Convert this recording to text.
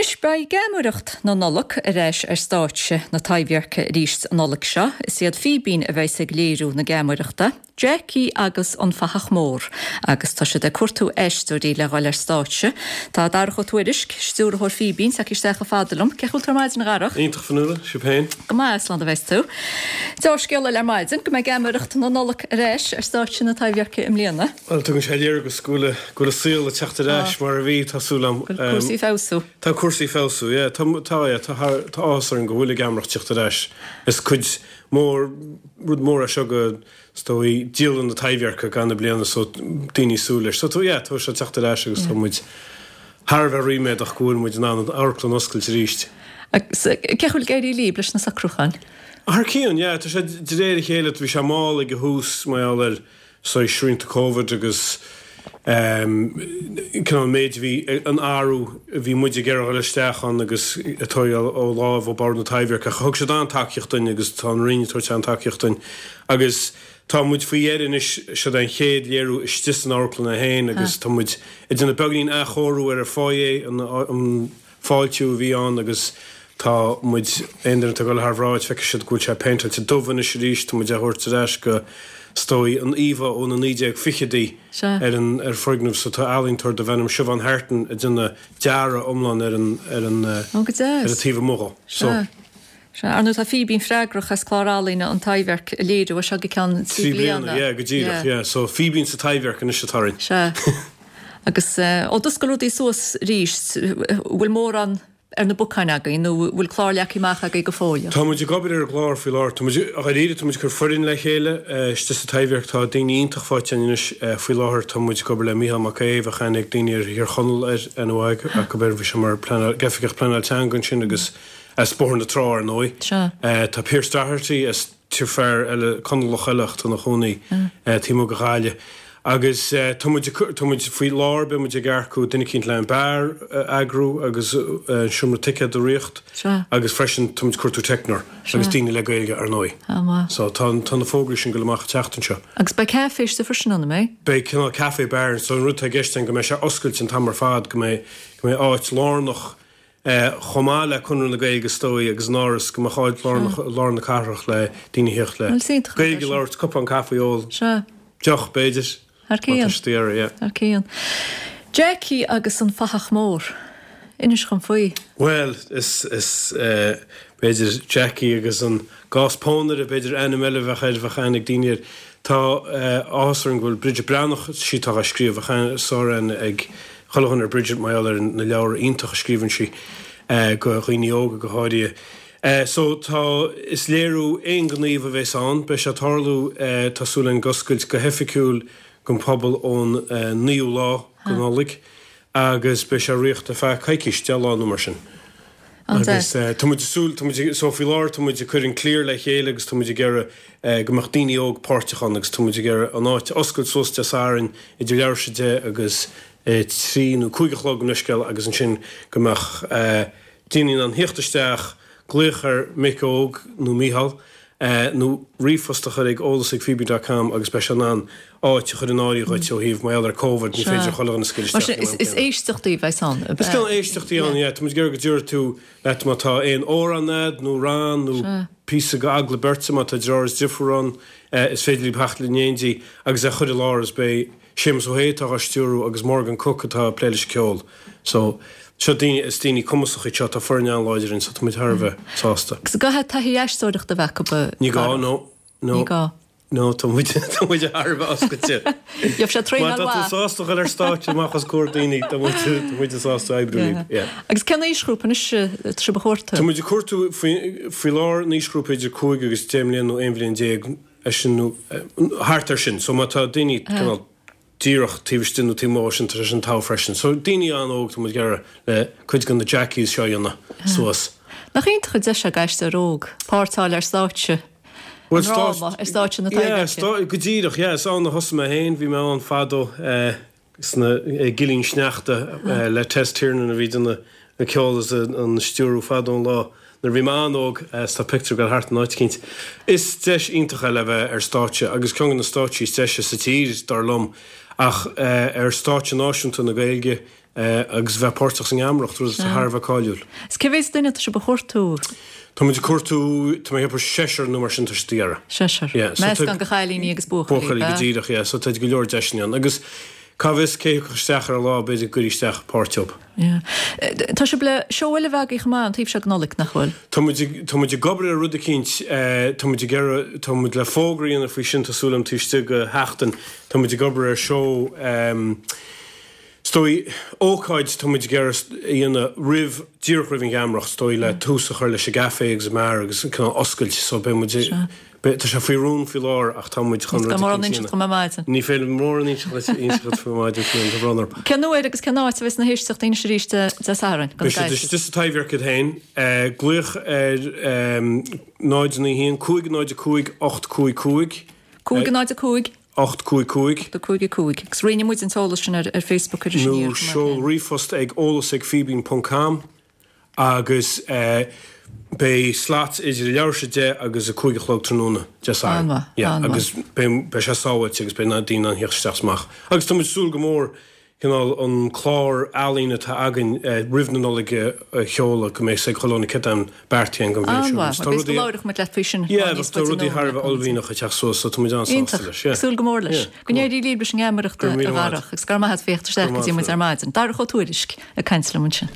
Anois, beidh Geamaireacht na Nollag ar ais ar stáitse na Taibhdheirce arís an Nollaig seo. Is iad Fíbín a bheas ag léiriú na geamaireachta, Jackie agus an Fathach Mór, agus tá siad ag cuartú aisteoirí le dhul ar stáitse. Tá Darach Ó Tuairisg, stiúrthóir Fíbín, tagtha isteach chomh fada liom. Cén chaoi a bhfuil tú ar maidin, a Dharach? Iontach, Fionnuala, sibh féin? Go maith, slán a bheas tú. Deá-scéala eile ar maidin, go mbeidh Geamaireacht na Nollag ar ais ar stáitse na Taibhdheirce i mbliana. Bhuel, tugann sé léargas go bhfuil, go bhfuil an saol ag teacht ar ais mar a bhí, tá súil agam. Go bhfuil cúrsaí ag feabhsú. Tá cúrsaí ag feabhsú, yeah. Tá, tá, yeah, tá thar, tá áthas orainn go bhfuil an gheamaireacht ag teacht ar ais. Is cuid mór, rud mór é seo go, is dóigh, dialann na Taibhdheirce gach aon bliana so daoine ag súil leis. So tá, yeah, tá sé ag teacht ar ais agus tá muid thar a bheith ríméadach go bhfuil muid in ann an amharclann a oscailt arís. Agus cén chaoi a bhfuil ag éirí libh leis na socrúcháin? Thar cionn, yeah. Tá sé de réir a chéile, bhí sé mall ag an thús mar gheall ar, saghas srianta Covid agus cineál an méid a bhí, an athrú a bhí muid ag iarraidh a dhul isteach ann agus ag tógáil ó láimh ó Bhord na Taibhdheirce ach thug siad an-tacaíocht dúinn agus tá an Roinn ag tabhairt an-tacaíocht dúinn agus tá muid faoi dheireadh anois, seod é an chéad léiriú istigh san amharclann é féin agus tá muid ag déanamh beagáinín athchóiriú ar an foyer, an. fáiltiú a bhí ann agus tá muid, aon duine atá ag dul thar bhráid feicfidh siad go bhfuil sé péinteáilte dubh anois arís, tá muid á thabhairt ar ais go, is dóigh, an íomha ó na 1920idí ar an ar foirgneamh so tá ealaíontóir darbh ainm Siobhán Hartin ag déanamh dearadh iomlán ar an ar an Ó go deas. ar an taobh amuigh dhó. So. Sea. Sea. Ar ndóigh tá Fíbín freagrach as clár ealaíne an Taibhdhearc a léiriú as seo go ceann 3 bliana. 3 bliana, yeah, go díreach, yeah. So Fíbín sa Taibhdhearc anois atá orainn. Sea. Agus ó d'oscail rudaí suas arís, bhfuil mórán ar na bacáin agaibh nó bhfuil clár leagtha amach agaibh go fóill? Tá muid ag obair ar an gclár faoi láthair. Tá muid, dháiríre, tá muid ag cur foireann le chéile istigh sa Taibhdhearc. Tá daoine iontach faighte againn anois faoi láthair. Tá muid ag obair le Mícheál Mac Aodha, bheadh aithne ag daoine ar Thír Chonaill air, aithne mhaith acu air, bhí sé mar pleanáil, oifigeach pleanáil teanga ansin agus as Bóthar na Trá ar ndóigh. Tá Pearse Doherty as. fear eile, Conallach eile ach atá ina chónaí taobh amuigh de Ghaillimh. Agus tá muid, tá muid faoi láthair, beidh muid ag earcú duine eicínt le an beár a eagrú agus an seomra ticéad a ritheacht agus freisin tá muid ag cuartú teicneoir agus daoine le Gaeilge ar ndóigh. So tá, tá na fógraí sin ag dul amach an tseachtain seo. Agus beidh caife istigh freisin ann, an mbeidh? Beidh cineál café bar so an rud atá i gceist againn go mbeidh sé oscailte an t-am ar fad, go mbeidh, go mbeidh áit lárnach chomh maith le Conradh na Gaeilge is dóigh agus an Áras go mbeadh áit lárnach i lár na cathrach le daoine a theacht le Gaeilge a labhairt, cupán caife a ól, deoch b'fhéidir, má tá siad ag iarraidh, yeah. Thar cionn. Jackie agus an Fathach Mór. Inis dhom faoi. Bhuel, is, is, b'fhéidir Jackie agus an Gás Pónaire, b'fhéidir ainm eile a bheadh air, bheadh aithne ag daoine air. Tá áthas orainn go bhfuil Bridget Breathnach, sí atá á scríobh, bheadh sáraithne ag chuile dhuine ar Bridget mar gheall ar na leabhra iontacha a scríobhann sí do dhaoine óga go háirithe. So tá, is léiriú aonghníomh a bheas ann. Beidh sé ag tarlú, tá súil againn ag oscailt go hoifigiúil don phobal ón naoú lá de Nollaig agus beidh sé ag ritheacht ar feadh coicís, 10 lá nó mar sin. Agus tá muid ag súil, tá muid, so faoi láthair tá muid ag cur an cliar le chéile agus tá muid ag iarraidh go mbeadh daoine óg páirteach ann agus tá muid ag iarraidh an áit a oscailt suas Dé Sathairn idir leathuair tar éis 10 agus 3 nó 5 a chlog gabh mo leithscéal agus ansin go mbeadh daoine in ann theacht isteach, glaoch ar Mick Óg nó Mícheál nó ríomhphost a chur ag eolas ag fíbín dot com agus beidh sé in ann áit a chur in áirithe dhuit ó thaobh mar gheall ar Covid, ní féidir chuile dhuine scaoileadh isteach ag an am céanna. Is éisteachtaí a bheas ann, ab ea? Is cineál éisteachtaí ann, yeah. Tá muid ag iarraidh go dtabharfaidh tú leat má tá aon amhrán a'd nó rann nó píosa go eagla beirte má tá deartháir is deirfiúr ann is féidir libh theacht in éindí agus é a chur i láthair is beidh Séamus Ó hAodha atá á stiúrú agus Morgan Cooke atá ag plé leis an ceol. So, seo daoine, is daoine cumasacha iad seo, tá foireann an-láidir againn so tá muid thar a bheith sásta. Agus an gcaithfidh taithí aisteoireachta a bheith acu a Ní gá, no, no. Ní gá. No, tá muid, tá muid thar a bheith oscailte. Gheobhaidh sé Má traenáil tá tú mhaith. sásta dhul ar stáitse amach os comhair daoine, tá muid, tá muid sásta oibriú libh, yeah. Agus cén aoisghrúpa anois atá sibh a chuartú? Tá muid ag cuartú faoi, faoi láthair an aoisghrúpa idir 5 agus 10 mbliana nó 11 bhliain. é sin nó thart ar sin. So má tá daoine cineál díreach taobh istigh nó taobh amuigh dhó sin, tá sé sin togha freisin. So daoine an-óg, tá muid ag iarraidh le cuid de na Jackies seo a dhéanamh suas. Nach iontach an deis é d'aisteoir óg páirt a fháil ar stáitse an dráma, ar stáitse na Taibhdheirce? Yeah, go díreach, yeah. Is ann a thosaigh mé féin, bhí mé ann fadó. sna Gillín Sneachta le Tess Tiernan a bhí ag déanamh an ceol is an stiúrú fadó an lá nuair a bhí mé an-óg is tá pictiúr ag dul thart in áit eicínt. Is deis iontach é le bheith ar stáitse agus ceann de na stáitsí is deise sa tír dar liom ach ar stáitse náisiúnta na Gaeilge. Agus bheith páirteach sa ngeamaireacht, rud atá thar a bheith cáiliúil. Is cé mhéad duine atá sibh a chuartú? Tá muid ag cuartú, tá mé ag ceapadh seisear nó mar sin tá siad ag iarraidh. Seisear. Yeah. So Meascán de chailíní agus buachaillí, Buachaillí, go díreach, yeah. So tá go leor deiseanna ann. Agus cá bhfios cé thiocfadh isteach ar an lá, b'fhéidir go gcuirfí isteach páirt dóibh. Yeah. Tá sibh le seó eile a bheith agaibh chomh maith an taobh seo den Nollaig, nach bhfuil? Tá muid ag, tá muid ag obair ar rud eicínt, tá muid ag iarraidh, tá muid le fógra a dhéanamh faoi sin, tá súil agam taobh istigh de sheachtain. Tá muid ag obair ar seó, Is dóigh, ócáid tá muid ag iarraidh a dhéanamh roimh, díreach roimh an gheamaireacht, is dóigh, le tús a chur leis an gcaife agus an mbeár agus an cineál oscailt so beidh muid, beidh, tá sé faoi rún faoi láthair ach tá muid chun rud Gan mórán a inseacht dom ar maidin. Ní féidir mórán a inseacht faoi maidin faoi an, tá brón orm. Cén uair agus cén áit a bheas na héisteachtaí anois arís Dé Sathairn? Beidh siad istigh sa Taibhdhearc iad féin. Glaoch ar 0 9 1 5 0 5 8 5 5. 5 0 5. 8 5 5. 8 5 5. Agus roinnfidh muid an t-eolas sin ar Facebook Iris Aniar. Nó seol ríomhphost ag eolas ag fíbín ponc com agus beidh slots idir leathuair tar éis 10 agus 5 a chlog tráthnóna Dé Sathairn. An-mhaith, an-mhaith. Agus beidh sé sábháilte agus beidh daoine in ann theacht isteach is amach. Agus tá muid ag súil go mór cineál an clár ealaíon atá againn roimh na Nollag a sheoladh go mbeidh sé ag chuile dhuine cad atá beartaithe don bhliain seo. An-mhaith, bhuel b'fhéidir go labhróidh muid leat faoi sin Yeah, níos tá faide rudaí thar a bheith uaillmhianach ag teacht suas so tá muid an-sásta Iontach, leis. Yeah. súil go mór leis. Yeah, Go n-éirí libh leis an ngeamaireacht a Go raibh míle maith Dharach agus go raibh maith agat as theacht isteach go dtí muid ar maidin. Darach Ó Tuairisg ag caint liom ansin.